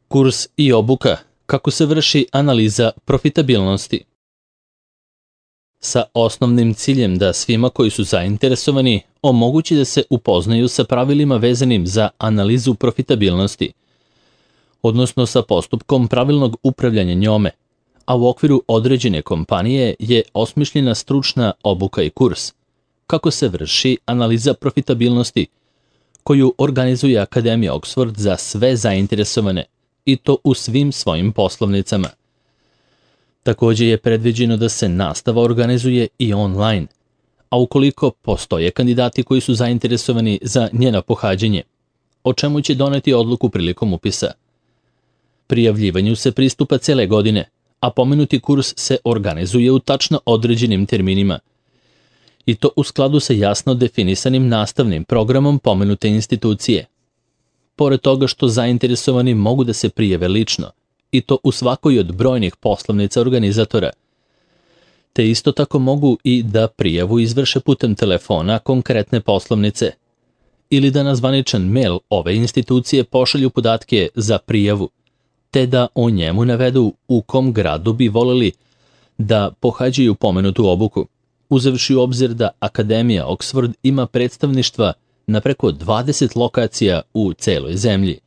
Kurs i obuka, kako se vrši analiza profitabilnosti. Sa osnovnim ciljem da svima koji su zainteresovani omogući da se upoznaju sa pravilima vezanim za analizu profitabilnosti, odnosno sa postupkom pravilnog upravljanja njome, a u okviru određene kompanije je osmišljena stručna obuka i kurs, kako se vrši analiza profitabilnosti, koju organizuje Akademija Oxford za sve zainteresovane, i to u svim svojim poslovnicama. Također je predviđeno da se nastava organizuje i online, a ukoliko postoje kandidati koji su zainteresovani za njeno pohađanje, o čemu će doneti odluku prilikom upisa. Prijavljivanju se pristupa cele godine, a pomenuti kurs se organizuje u tačno određenim terminima, i to u skladu sa jasno definisanim nastavnim programom pomenute institucije. Pored toga što zainteresovani mogu da se prijave lično, i to u svakoj od brojnih poslovnica organizatora, te isto tako mogu i da prijavu izvrše putem telefona konkretne poslovnice, ili da na zvaničan mail ove institucije pošalju podatke za prijavu, te da o njemu navedu u kom gradu bi voleli da pohađaju pomenutu obuku, uzevši u obzir da Akademija Oxford ima predstavništva na preko 20 lokacija u celoj zemlji.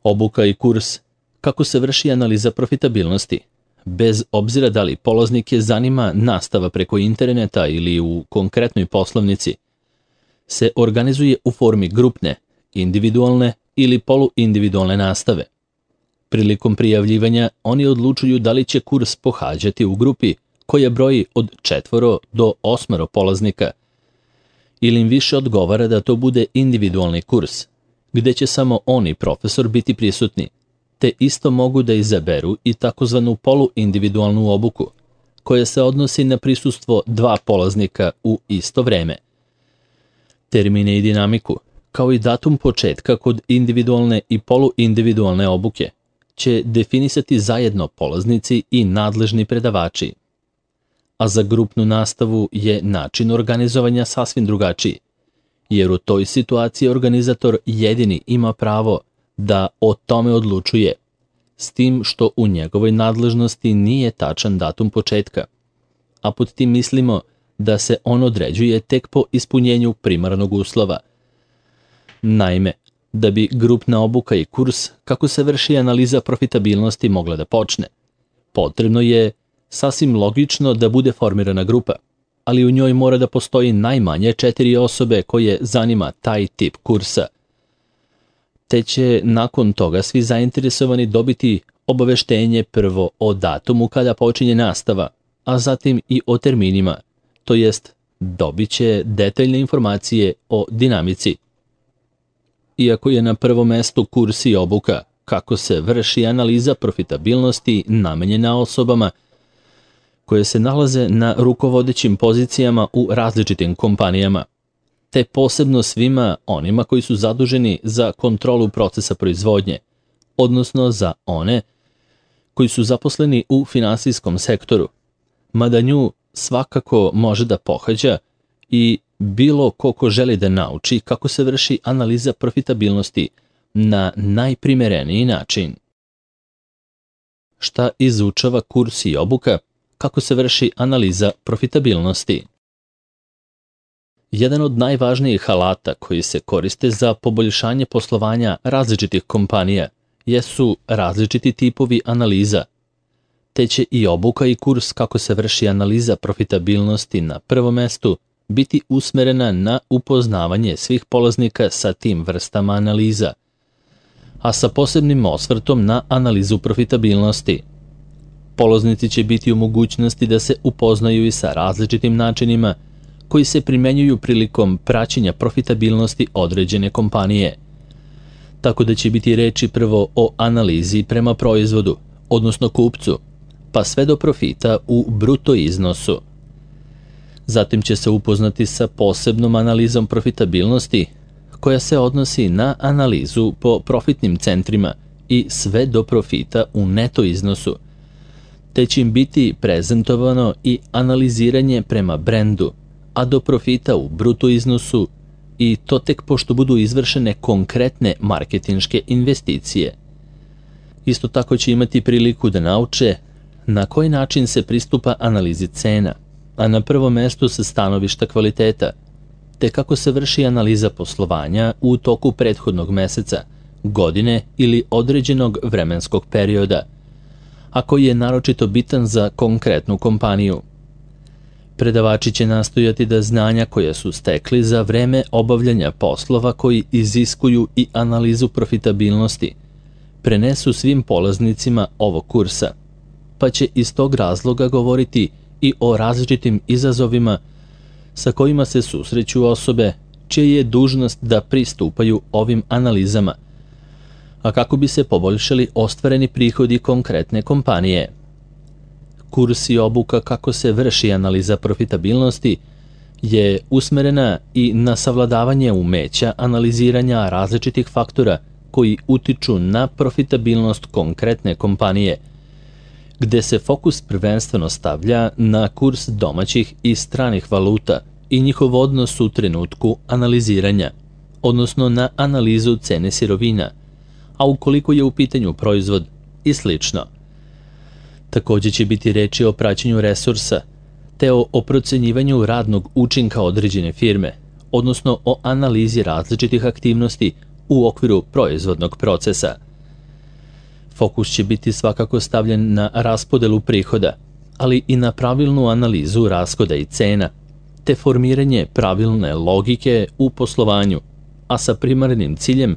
Obuka i kurs, kako se vrši analiza profitabilnosti, bez obzira da li polaznike zanima nastava preko interneta ili u konkretnoj poslovnici, se organizuje u formi grupne, individualne ili poluindividualne nastave. Prilikom prijavljivanja oni odlučuju da li će kurs pohađati u grupi koja broji od 4 do 8 polaznika, ili im više odgovara da to bude individualni kurs, gde će samo on i profesor biti prisutni, te isto mogu da izaberu i takozvanu poluindividualnu obuku, koja se odnosi na prisustvo 2 polaznika u isto vreme. Termine i dinamiku, kao i datum početka kod individualne i poluindividualne obuke, će definisati zajedno polaznici i nadležni predavači. A za grupnu nastavu je način organizovanja sasvim drugačiji, jer u toj situaciji organizator jedini ima pravo da o tome odlučuje, s tim što u njegovoj nadležnosti nije tačan datum početka, a pod tim mislimo da se on određuje tek po ispunjenju primarnog uslova. Naime, da bi grupna obuka i kurs, kako se vrši analiza profitabilnosti, mogla da počne, potrebno je sasvim logično da bude formirana grupa, ali u njoj mora da postoji najmanje 4 osobe koje zanima taj tip kursa. Te će nakon toga svi zainteresovani dobiti obaveštenje prvo o datumu kada počinje nastava, a zatim i o terminima, to jest dobit će detaljne informacije o dinamici. Iako je na prvom mestu kurs i obuka, kako se vrši analiza profitabilnosti namenjena osobama koje se nalaze na rukovodećim pozicijama u različitim kompanijama, te posebno svima onima koji su zaduženi za kontrolu procesa proizvodnje, odnosno za one koji su zaposleni u finansijskom sektoru, mada nju svakako može da pohađa i bilo ko želi da nauči kako se vrši analiza profitabilnosti na najprimereniji način. Šta izučava kurs i obuka, kako se vrši analiza profitabilnosti? Jedan od najvažnijih alata koji se koriste za poboljšanje poslovanja različitih kompanija jesu različiti tipovi analiza, te će i obuka i kurs kako se vrši analiza profitabilnosti na prvom mestu biti usmerena na upoznavanje svih polaznika sa tim vrstama analiza, a sa posebnim osvrtom na analizu profitabilnosti. Polaznici će biti u mogućnosti da se upoznaju i sa različitim načinima koji se primenjuju prilikom praćenja profitabilnosti određene kompanije. Tako da će biti reči prvo o analizi prema proizvodu, odnosno kupcu, pa sve do profita u bruto iznosu. Zatim će se upoznati sa posebnom analizom profitabilnosti, koja se odnosi na analizu po profitnim centrima i sve do profita u neto iznosu, te će im biti prezentovano i analiziranje prema brendu, a do profita u bruto iznosu, i to tek pošto budu izvršene konkretne marketinške investicije. Isto tako će imati priliku da nauče na koji način se pristupa analizi cena, a na prvom mestu sa stanovišta kvaliteta, te kako se vrši analiza poslovanja u toku prethodnog meseca, godine ili određenog vremenskog perioda, a koji je naročito bitan za konkretnu kompaniju. Predavači će nastojati da znanja koja su stekli za vreme obavljanja poslova koji iziskuju i analizu profitabilnosti prenesu svim polaznicima ovog kursa, pa će iz tog razloga govoriti i o različitim izazovima sa kojima se susreću osobe čija je dužnost da pristupaju ovim analizama, a kako bi se poboljšali ostvareni prihodi konkretne kompanije. Kurs i obuka kako se vrši analiza profitabilnosti je usmerena i na savladavanje umeća analiziranja različitih faktora koji utiču na profitabilnost konkretne kompanije, gde se fokus prvenstveno stavlja na kurs domaćih i stranih valuta i njihov odnos u trenutku analiziranja, odnosno na analizu cene sirovina, a ukoliko je u pitanju proizvod i slično. Takođe će biti reči o praćenju resursa, te o procenjivanju radnog učinka određene firme, odnosno o analizi različitih aktivnosti u okviru proizvodnog procesa. Fokus će biti svakako stavljen na raspodelu prihoda, ali i na pravilnu analizu rashoda i cena, te formiranje pravilne logike u poslovanju, a sa primarnim ciljem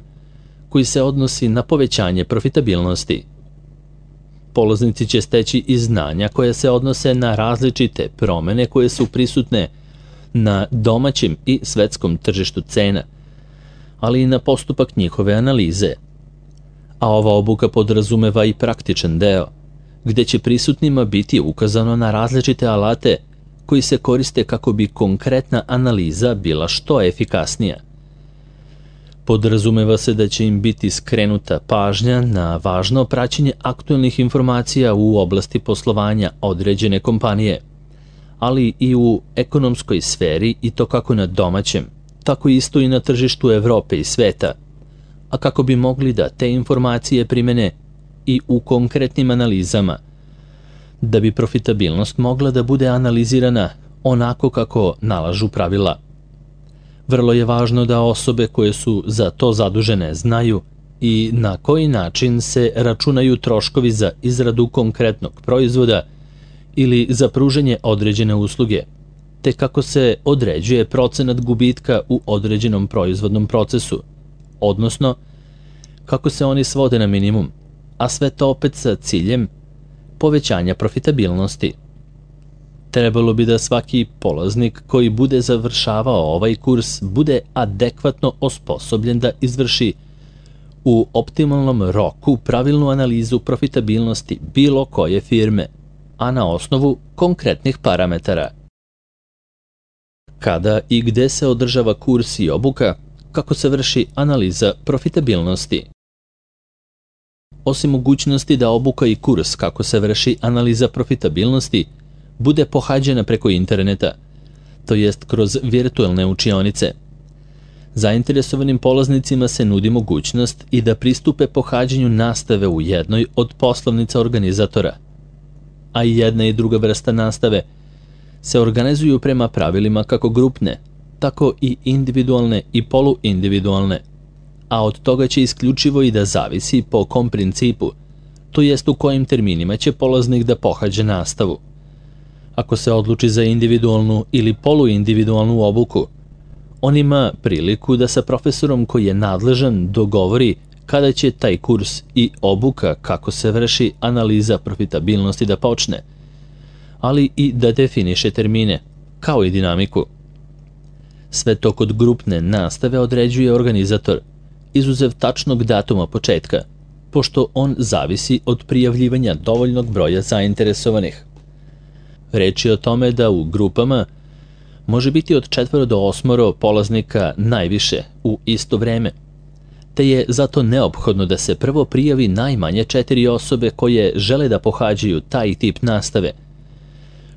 koji se odnosi na povećanje profitabilnosti. Polaznici će steći i znanja koje se odnose na različite promene koje su prisutne na domaćem i svetskom tržištu cena, ali i na postupak njihove analize. A ova obuka podrazumeva i praktičan deo, gde će prisutnima biti ukazano na različite alate koji se koriste kako bi konkretna analiza bila što efikasnija. Podrazumeva se da će im biti skrenuta pažnja na važno praćenje aktuelnih informacija u oblasti poslovanja određene kompanije, ali i u ekonomskoj sferi i to kako na domaćem, tako isto i na tržištu Evrope i sveta, a kako bi mogli da te informacije primene i u konkretnim analizama, da bi profitabilnost mogla da bude analizirana onako kako nalažu pravila. Vrlo je važno da osobe koje su za to zadužene znaju i na koji način se računaju troškovi za izradu konkretnog proizvoda ili za pružanje određene usluge, te kako se određuje procenat gubitka u određenom proizvodnom procesu, odnosno kako se oni svode na minimum, a sve to opet sa ciljem povećanja profitabilnosti. Trebalo bi da svaki polaznik koji bude završavao ovaj kurs bude adekvatno osposobljen da izvrši u optimalnom roku pravilnu analizu profitabilnosti bilo koje firme, a na osnovu konkretnih parametara. Kada i gde se održava kurs i obuka, kako se vrši analiza profitabilnosti. Osim mogućnosti da obuka i kurs kako se vrši analiza profitabilnosti bude pohađena preko interneta, to jest kroz virtualne učionice, zainteresovanim polaznicima se nudi mogućnost i da pristupe pohađanju nastave u jednoj od poslovnica organizatora, a i jedna i druga vrsta nastave se organizuju prema pravilima kako grupne, tako i individualne i poluindividualne, a od toga će isključivo i da zavisi po kom principu, to jest u kojim terminima će polaznik da pohađa nastavu. Ako se odluči za individualnu ili poluindividualnu obuku, on ima priliku da sa profesorom koji je nadležan dogovori kada će taj kurs i obuka kako se vrši analiza profitabilnosti da počne, ali i da definiše termine, kao i dinamiku. Sve to kod grupne nastave određuje organizator, izuzev tačnog datuma početka, pošto on zavisi od prijavljivanja dovoljnog broja zainteresovanih. Reč je o tome da u grupama može biti od 4 do 8 polaznika najviše u isto vreme, te je zato neophodno da se prvo prijavi najmanje 4 osobe koje žele da pohađaju taj tip nastave,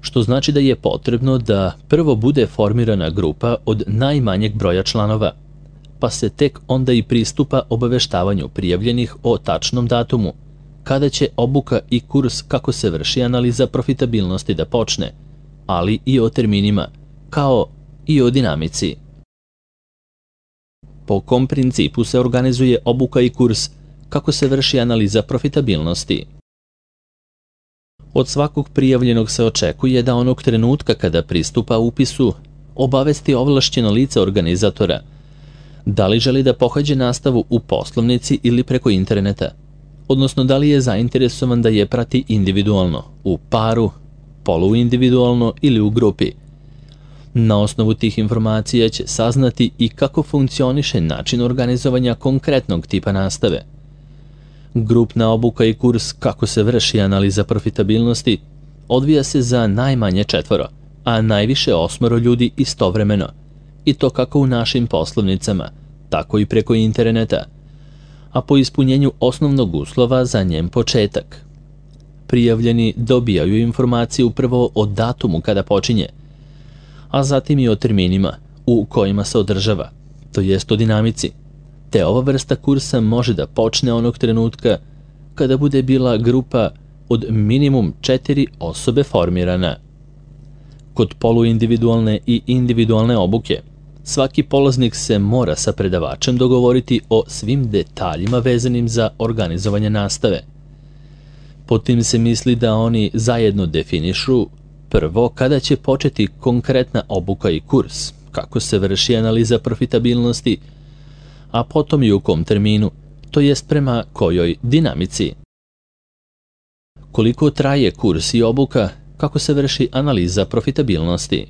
što znači da je potrebno da prvo bude formirana grupa od najmanjeg broja članova, pa se tek onda i pristupa obaveštavanju prijavljenih o tačnom datumu, kada će obuka i kurs kako se vrši analiza profitabilnosti da počne, ali i o terminima, kao i o dinamici. Po kom principu se organizuje obuka i kurs kako se vrši analiza profitabilnosti? Od svakog prijavljenog se očekuje da onog trenutka kada pristupa upisu obavesti ovlašćeno lice organizatora da li želi da pohađa nastavu u poslovnici ili preko interneta, odnosno da li je zainteresovan da je prati individualno, u paru, poluindividualno ili u grupi. Na osnovu tih informacija će saznati i kako funkcioniše način organizovanja konkretnog tipa nastave. Grupna obuka i kurs kako se vrši analiza profitabilnosti odvija se za najmanje 4, a najviše 8 ljudi istovremeno, i to kako u našim poslovnicama, tako i preko interneta, a po ispunjenju osnovnog uslova za njen početak. Prijavljeni dobijaju informaciju prvo o datumu kada počinje, a zatim i o terminima u kojima se održava, to jest o dinamici, te ova vrsta kursa može da počne onog trenutka kada bude bila grupa od minimum 4 osobe formirana. Kod poluindividualne i individualne obuke, svaki polaznik se mora sa predavačem dogovoriti o svim detaljima vezanim za organizovanje nastave. Pod tim se misli da oni zajedno definišu prvo kada će početi konkretna obuka i kurs, kako se vrši analiza profitabilnosti, a potom i u kom terminu, to jest prema kojoj dinamici. Koliko traje kurs i obuka, kako se vrši analiza profitabilnosti.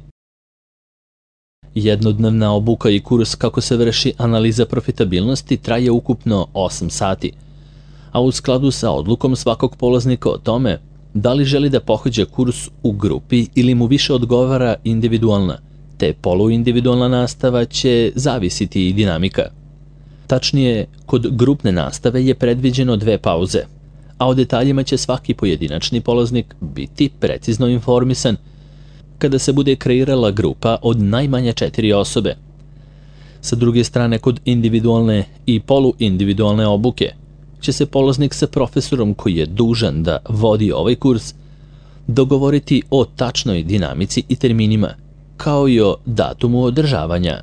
Jednodnevna obuka i kurs kako se vrši analiza profitabilnosti traje ukupno 8 sati, a u skladu sa odlukom svakog polaznika o tome da li želi da pohađa kurs u grupi ili mu više odgovara individualna, te poluindividualna nastava će zavisiti i dinamika. Tačnije, kod grupne nastave je predviđeno 2 pauze, a o detaljima će svaki pojedinačni polaznik biti precizno informisan kada se bude kreirala grupa od najmanje 4 osobe. Sa druge strane, kod individualne i poluindividualne obuke će se polaznik sa profesorom koji je dužan da vodi ovaj kurs dogovoriti o tačnoj dinamici i terminima, kao i o datumu održavanja.